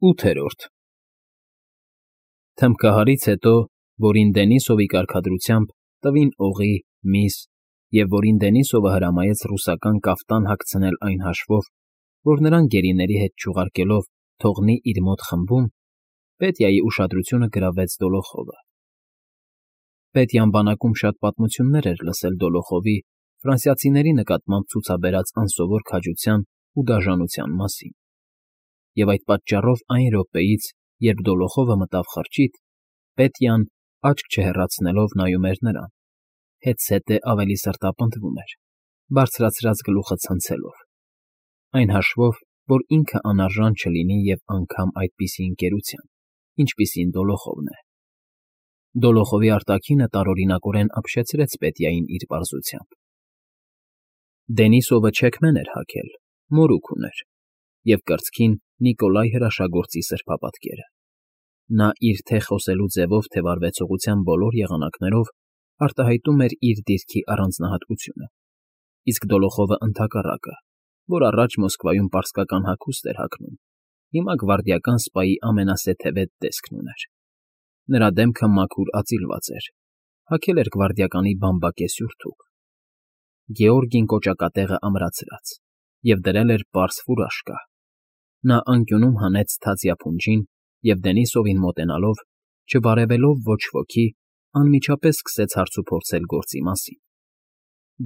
8-րդ Թմբկահարից հետո, որին Դենիսովի կարգադրությամբ տվին օղի, միս, և որին Դենիսովը հրամայեց ռուսական կաֆտան հագցնել այն հաշվով, որ նրան գերիների հետ չուղարկելով թողնի իր մոտ խմբում, Պետյայի ուշադրությունը գրավեց Դոլոխովը։ Պետյան բանակում շատ պատմություններ էր լսել Դոլոխովի ֆրանսիացիների նկատմամբ ցուցաբերած անսովոր քաջության ու դաժանության մասին, և այդ պատճառով այն րոպեից, երբ Դոլոխովը մտավ խրճիթ, Պետյան, աչք չհեռացնելով նայում էր նրան, հետզհետե ավելի սրտապնդվում էր, բարձրացրած գլուխը ցնցելով, այն հաշվով, որ ինքը անարժան չլինի և անգամ այդպիսի ընկերության, ինչպիսին Դոլոխովն է։ Դոլոխովի արտաքինը տարօրինակորեն ապշեցրեց Պետյային իր պարզությամբ։ Դենիսովը չեքմեն էր հագել, մորուք ուներ, և կրծքին Նիկոլայ հրաշագործի սրբապատկերը։ Նա իր թե խոսելու ձևով, թե վարվեցողության բոլոր եղանակներով արտահայտում էր իր դիրքի առանձնահատկությունը, իսկ Դոլոխովը ընդհակառակը, որ առաջ Մոսկվայում պարսկական հագուստ էր հագնում, հիմա գվարդիական սպայի ամենասեթևետ տեսքն ուներ։ Նրա դեմքը մաքուր ածիլված էր, հագել էր գվարդիականի բամբակե սյուրթուք։ Գեորգին կոճակատեղը ամրացրած և դրել էր պարզ ֆուրաշկա։ Նա անկյունում հանեց թացյա փունջին և Դենիսովին մոտենալով, չբարևելով ոչ ոքի, անմիջապես սկսեց հարցուփորձել գործի մասին։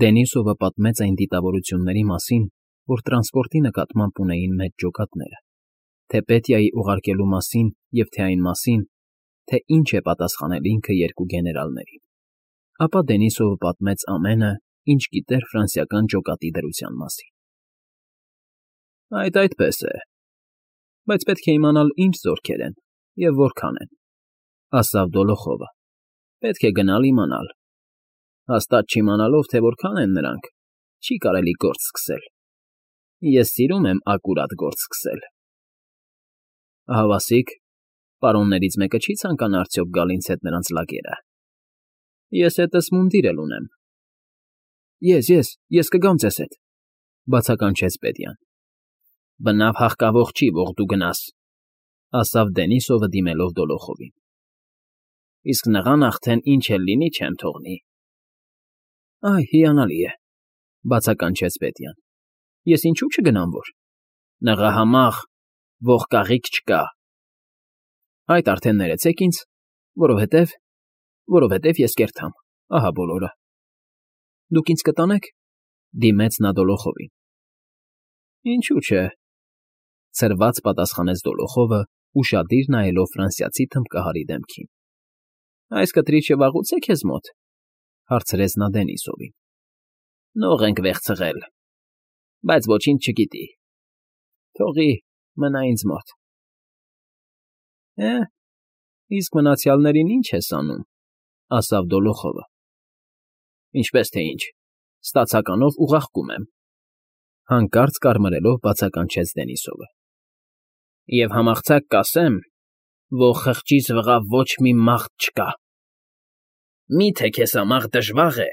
Դենիսովը պատմեց այն դիտավորությունների մասին, որ տրանսպորտի նկատմամբ ունեին մեծ ջոկատները, թե Պետյայի ուղարկելու մասին և թե այն մասին, թե ինչ է պատասխանել ինքը երկու գեներալներին։ Ապա Դենիսովը պատմեց ամենը, ինչ գիտեր ֆրանսիական ջոկատի դրության մասին։ Այդ այդպես է, բայց պետք է իմանալ ինչ զորքեր են և որքան են, ասավ Դոլոխովը, պետք է գնալ իմանալ։ Հաստատ չիմանալով, թե որքան են նրանք, չի կարելի գործ սկսել։ Ես սիրում եմ ակուրատ գործ սկսել։ Ահավասիկ, պարոններից մեկը չի ցանկանա արդյոք գալ ինձ հետ նրանց լագերը։ Ես հետս մունդիր էլ ունեմ։ Ես կգամ ձեզ հետ, բացականչեց Պետյան։ Բնավ հաղկավող չի, որ դու գնաս, ասավ Դենիսովը դիմելով Դոլոխովին։ Իսկ նղան արդեն ինչ էլ լինի չեմ թողնի։ Այ, հիանալի է, բացականչեց Պետյան։ Ես ինչու չգնամ որ։ Նղա համաղ, ողկաղիք չկա։ Այդ արդեն ներեցեք ինձ, որովհետև ես կերթամ, ահա բոլորը։ Դուք ինձ կտանեք, դիմեց նա Դոլոխովին։ Ինչու՞ չէ, ցրված պատասխանեց Դոլոխովը, ուշադիր նայելով ֆրանսիացի թմբկահարի դեմքին։ Այս կտրիչը վաղուց է քեզ մոտ, հարցրեց նա Դենիսովին։ Նող ենք վեղցղել, բայց ոչինչ չգիտի։ Թողի, մնա ինձ մոտ։ Իսկ մնացյալներին ինչ ես անում, ասավ Դոլոխովը։ Ինչպես թե ինչ, ստացականով ուղարկում եմ, հանկարծ կարմրելով բացականչեց Դենիսովը։ Եվ համարձակ կասեմ, որ խղճիս վրա ոչ մի մարդ չկա։ Մի՞թե քեզ համար դժվար է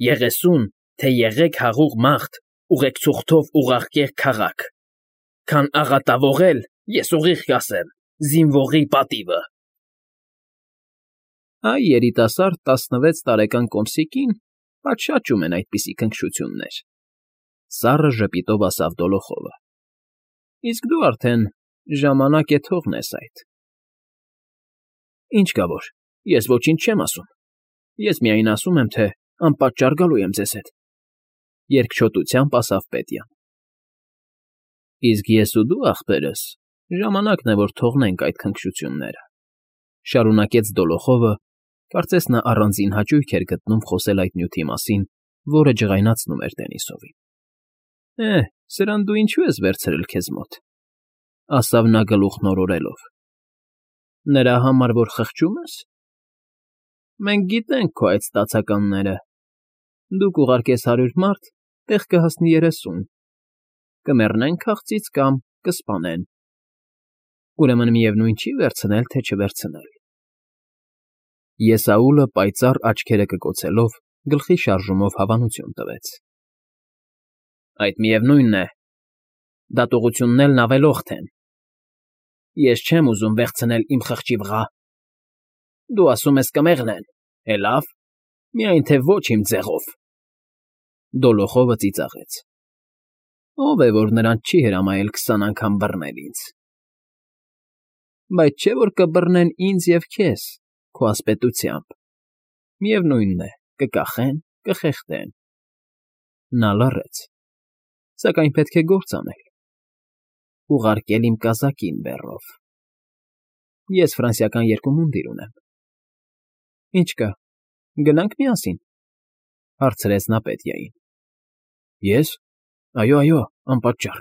30, թե 300 մարդ ուղեկցուորդով ուղարկել քաղաք, քան աղատավորել, ես ուղիղ կասեմ, զինվորի պատիվը։ Այ երիտասարդ 16 տարեկան կոմսիկին պատշաճում են այդպիսի քնքշություններ, սառը ժպիտով ասավ Դոլոխովը։ Իսկ դու արդեն ժամանակ է թողնես այդ։ Ինչ կա որ, ես ոչինչ չեմ ասում։ Ես միայն ասում եմ, թե անպատճառ գալու եմ ձեզ հետ, երկչոտությամբ ասավ Պետյան։ Իսկ ես ու դու, ախպերս, ժամանակն է, որ թողնենք այդ քնքշությունները, շարունակեց Դոլոխովը, կարծես նա առանձին հաճույք էր գտնում խոսել այդ նյութի մասին, որը ջղայնացնում էր Դենիսովին։ Սրան դու ինչու ես վերցրել քեզ մոտ, ասավ նա գլուխն օրորելով։ Նրա համար, որ խղճում ես։ Մենք գիտենք քո այդ ստացականները։ Դուք ուղարկես 100 մարդ, տեղ կհասնի 30։ Կմեռնեն քաղցից կամ կսպանեն։ Ուրեմն միևնույն չի վերցնել, թե չվերցնել։ Եսաուլը պայծառ աչքերը կկոցելով գլխի շարժումով հավանություն տվեց։ Այդ միևնույնն է, դատողություններն ավելորդ են։ Ես չեմ ուզում վեղցնել իմ խղճի վրա։ Դու ասում ես կմեղնեն, լավ, միայն թե ոչ իմ ձեղով։ Դոլոխովը ծիծաղեց։ Ով է, որ նրանց չի հրամայել 20 անգամ բռնել ինձ։ Բայց չէ՞ որ կբռնեն ինձ և քեզ, քո ասպետությամբ, միևնույն է, կկախեն, կխեղդեն։ Նա լռեց, սակայն պետք է գործ անել, ուղարկել իմ կազակին բեռով։ Ես ֆրանսիական երկու մունդիր ունեմ։ Ինչ կա, գնա՞նք միասին, հարցրեց նա Պետիային։ Ես։ Այո, անպատճառ,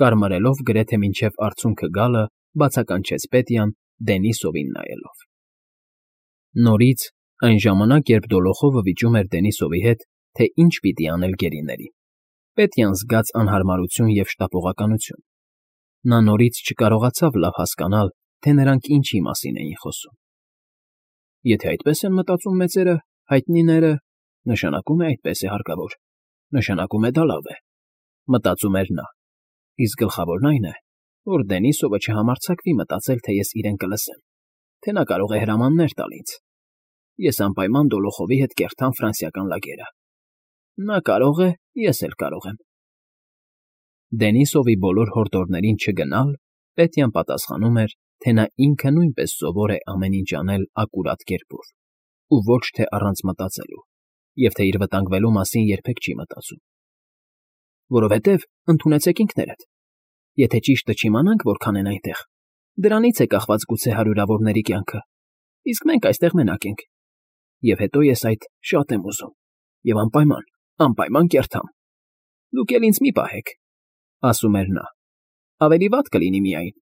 կարմարելով գրեթե մինչև արցունքը գալը, բացականչեց Պետյան Դենիսովին նայելով։ Նորից, այն ժամանակ, երբ Դոլոխովը վիճում էր Դենիսովի հետ, թե ինչ պիտի անել գերիներին, Պետյան զգաց անհարմարություն և շտապողականություն։ Նա նորից չկարողացավ լավ հասկանալ, թե նրանք ինչի մասին էին խոսում։ Եթե այդպես են մտածում մեծերը, հայտնիները, նշանակում է այդպես է հարկավոր, նշանակում է դա լավ է, մտածում էր նա, իսկ գլխավորն այն է, որ Դենիսովը չհամարձակվի մտածել, թե ես իրեն կլսեմ, թե նա կարող է հրամաններ տալ ինձ։ Ես անպայման Դոլոխովի հետ կերտամ ֆրանսիական լագերը։ Նա կարող է, ես էլ կարող եմ։ Դենիսովի բոլոր հորդորներին չգնալ Պետյան պատասխանում էր, թե նա ինքը նույնպես սովոր է ամեն ինչ անել ակուրատ կերպով, ու ոչ թե առանց մտածելու, և թե իր վտանգվելու մասին երբեք չի մտածում։ Որովհետև, ընդունեցեք ինքներդ, եթե ճիշտը չիմանանք որքան են այնտեղ, դրանից է կախված գուցե հարյուրավորների կյանքը, իսկ մենք այստեղ մենակ ենք, և հետո ես այդ շատ եմ ուզում, և անպայման կերտամ։ Դուք էլ ինձ մի պահեք, ասում էր նա, ավելի վատ կլինի միայն,